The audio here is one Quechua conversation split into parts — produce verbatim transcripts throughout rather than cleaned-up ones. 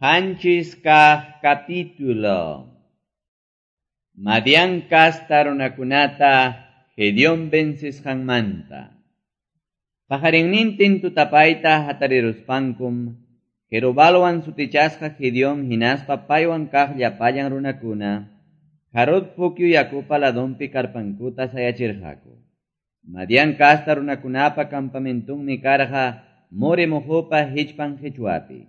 Qanchis kaq capítulo. Madián kasta runakunata Gedeón vencisqanmanta. Pajarinnintin tutapayta hatariruspankum, Jerubalwan sutichasqa Gedeón hinaspa paywan kaq llapallan runakuna, Harod pukyu yakupa ladonpi karpankuta sayachirqaku. Madián kasta runakunapa campamentunmi karqa More mojopa hichpan hichwapi.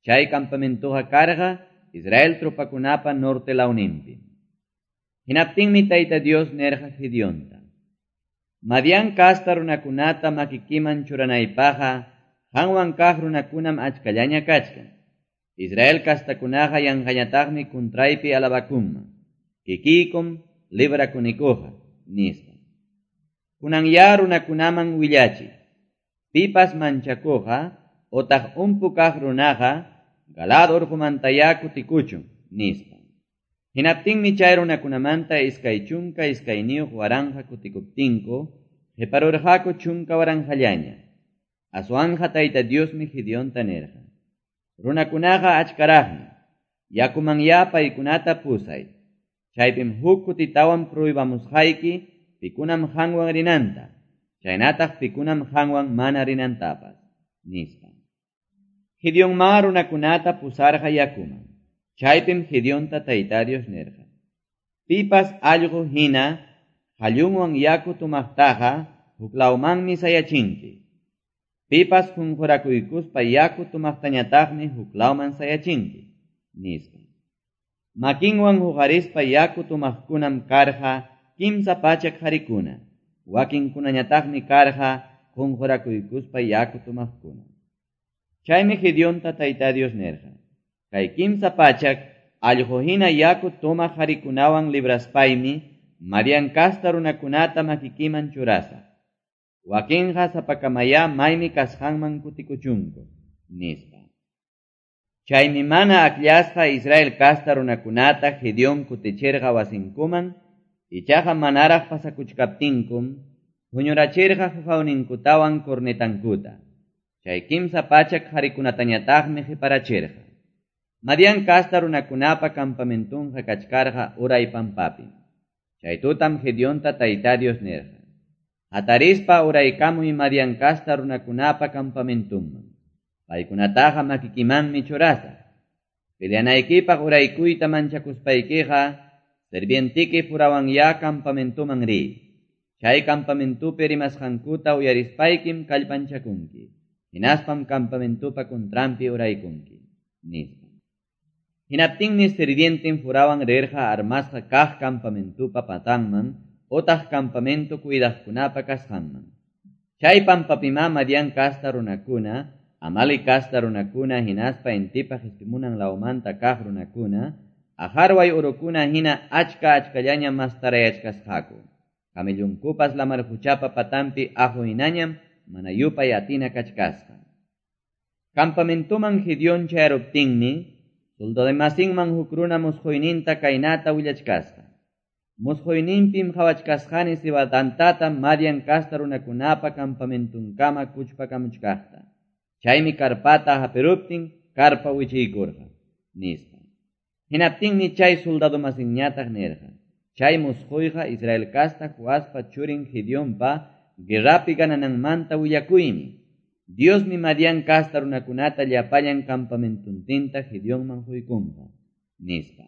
Chay campamentuqa karqa Israel tropakunapa norte lawnimpi. Hinaptinmi Tayta Dios nerqa Gedeonta: Madián kasta runakunata makikiman churanaypaqqa qanwan kaq runakunam achkallaña kachkan. Israel kastakunaqa yanqañataqmi kuntraypi alabakunman. Kikiykum librakunikuqa, nispa. Kunanya runakunaman willachiy. Pipas manchakuqa otaq umpu kaq runaqa Galaad urqumantaya kutikuchun, nispa. Hinaptinmi chay runakunamanta iskay chunka iskayniyuq waranqa kutikuptinku, qiparurqaku chunka waranqallaña. Aswanja Tayta Diosmi Gedeonta nirqa: Runakunaqa achkaraqmi, yakumanya paykunata pusay. Chaypim huk kutitawan pruibamusqayki pikunam qanwan rinanta, chaynataq pikunam qanwan mana rinantapas, nispa. Gedeonma runakunata pusarqa yakuman. Chaypim Gedeonta Tayta Dios nirqa: Pipas allqu hina qallunwan yaku tumaqtaqa huklawmanmi sayachinki. Pipas qunqurakuykuspa yaku tumaqtañataqmi huklawman sayachinki, nispa. Makinwan huqarispa yaku tumaqkunam karqa kimsa pachak qarikuna. Wakinkunañataqmi karqa qunqurakuykuspa yaku tumaqkuna. Chaymi Gedeonta Tayta Dios nirqa: Kay kimsa pachak allqu hina yaku tumaq qarikunawan libraspaymi Madián kasta runakunata makikiman churasaq. Wakinqa sapakamaya maymi kasqanman kutikuchunku, nispa. Chaymi mana akllasqa Israel kasta runakunata Gedeón kutichirqa wasinkuman, ichaqa manaraq pasakuchkaptinkum, huñurachirqa huqawninkutawan cornetankuta. Chay kimsa pachak qarikunatañataqmi qiparachirqa. Madián kasta runakunapa campamentunqa kachkarqa uray pampapi. Chay tutam Gedeonta Tayta Dios nirqa: Hatarispa uraykamuy Madián kasta runakunapa campamentunman. Paykunataqa makikimanmi churasaq. Peleanaykipaq uraykuyta manchakuspaykiqa, sirvientiki Furawanya campamentuman riy. Chay campamentupi rimasqankuta uyarispaykim kallpanchakunki. Hinaspam campamentupa kuntranpi uraykunki, nispa. Hinaptinmi sirvientin Furawan rirqa armasqa kaq campamentupa patanman otaq campamento cuidaqkunapa kasqanman. Chay pampapima Madián kasta runakuna, Amalek kasta runakuna hinaspa intipa qispimunan lawmanta kaq runakuna, ajarway urukuna hina achka achkallaña mastarayachkasqaku. Camellunkupas lamar quchapa patampi aqu hinañam mana yupay atina kachkasqa. Campamentuman Gedeón chayaruptinmi, soldademasinman huk runa musquyninta kaynata willachkasqa: Musquyninpim qhawachkasqani cebadantata Madián kasta runakunapa campamentunkama kuchpakamuchkaqta. Chaymi karpata hapiruptin karpa wichiykurqa, nispa. Hinaptinmi chay soldadomasinñataq nirqa: Chay musquyqa Israel kasta Joaspa churin Gedeonpa guerrapi ganananmanta willakuymi. Diosmi Madián kasta runakunata llapallan campamentuntinta Gedeonman huykunqa, nispa.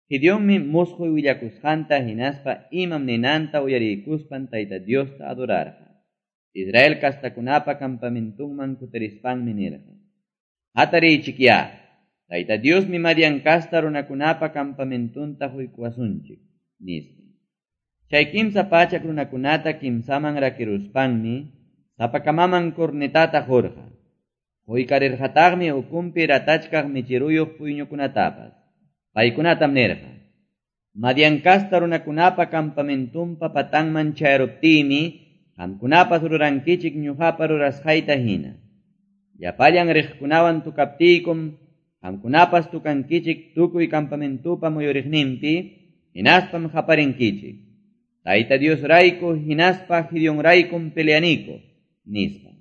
Gedeonmi musquy willakusqanta hinaspa imam ninanta uyariykuspan Tayta Diosta adorarqa. Israel kastakunapa campamentunman kutirispanmi nirqa: Hatariychikya, Tayta Diosmi Madián kasta runakunapa campamentunta huykuwasunchik, nispa. Chay kimsa pachak runakunata kimsaman rakiruspanmi sapakamaman cornetata qurqa. Quykarirqataqmi ukumpi ratachkaq michiruyuq puyñukunatapas. Paykunatam nirqa: Madián kasta runakunapa campamentunpa patanman chayaruptiymi qamkunapas rurankichik ñuqapa rurasqayta hina. Llapallan riqkunawan tukaptiykum qamkunapas tukankichik tukuy campamentupa muyuriqninpi, hinaspam qaparinkichik: Tayta Dios rayku hinaspa Gedeón raykum peleaniku, nispa.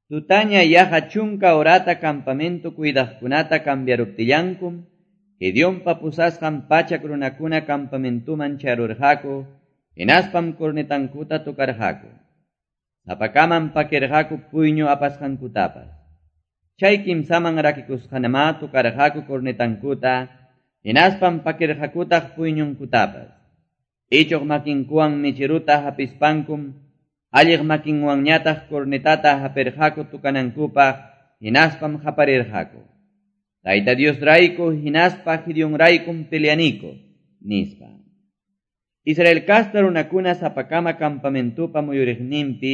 Tutaña yaqa chunka horata campamento cuidaqkunata cambiaruptillankum, Gedeonpa pusasqan pachak runakuna campamentoman chayarurqaku, hinaspam cornetankuta tocarqaku. Sapakaman pakirqaku puyñu apasqankutapas. Chay kimsaman rakikusqanamá tocarqaku cornetankuta, hinaspam pakirqakutaq puyñunkutapas. Ichuq makinkuwan michiruta hapispankum, alliq makinwanñataq cornetata hapirqaku tukanankupaq, hinaspam qaparirqaku. Tayta Dios rayku hinaspa Gideon raykum peleaniko, nispa. Israel kasta runakuna sapakama campamentupa muyuriqninpi,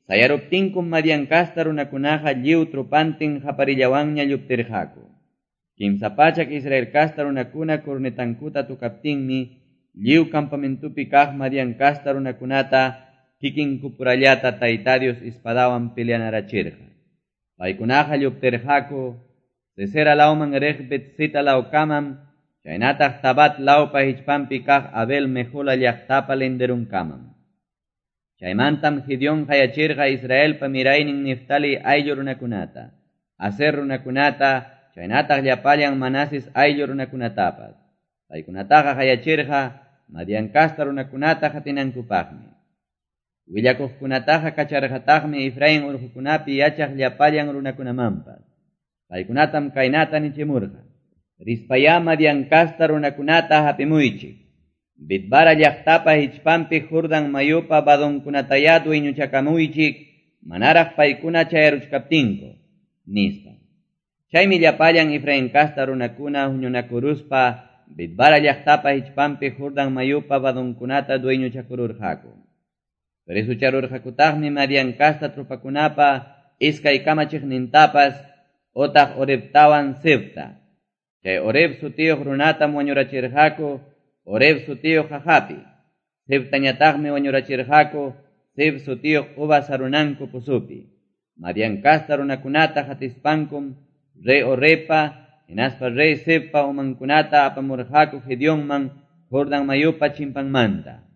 sayaruptinkum Madian kasta runakunaqa lliw tropantin qaparillawanña lluptirqaku. Kimsa pachak Israel kasta runakuna cornetankuta tukaptinmi, lliw campamentupi kaq Madian kasta runakunata kikinkupurallata Tayta Dios espadawan peleanarachirqa. Paykunaqa lluptirqaku, Sesera lawman riq Betsita lawkamam, chaynataq Tabat lawpa hichpanpi kaq Abel Mehola llaqtapa linderunkamam. Chaymantam Gideon qayachirqa Israelpa miraynin Neftali ayllu runakunata, Aser runakunata, chaynataq llapallan Manases ayllu runakunatapas. Paykunataqa qayachirqa Madian kasta runakunata qatinankupaqmi. Willakuqkunataqa kacharqataqmi Efraín urqukunapi yachaq llapallan runakunamanpas. Paykunatam kaynata nichimurqa. Rispayá Madian kasta runakunata hapimuychik. Bitbara llaqtapa hichpanpi Jordan mayupa vadonkunatayá dueñuchakamuychik, manaraq paykuna chayaruchkaptinku, nispa. Chaymi llapallan Efraín kasta runakuna huñunakuruspa Bitbara llaqtapa hichpanpi Jordan mayupa vadonkunata dueñuchakururqaku. Presucharurqakutaqmi Madian kasta tropakunapa iskay kamachiqnintapas otaq Orebtawan Zebta. Chay Oreb sutiyuq runatam wañurachirqaku Oreb sutiyuq qaqapi. Zebtañataqmi wañurachirqaku Zeb sutiyuq uvas sarunanku pusupi. Madian kasta runakunata hatispankum rey Orebpa hinaspa rey Zebpa umankunata apamurqaku Gedeonman Jordan mayupa chimpanmanta.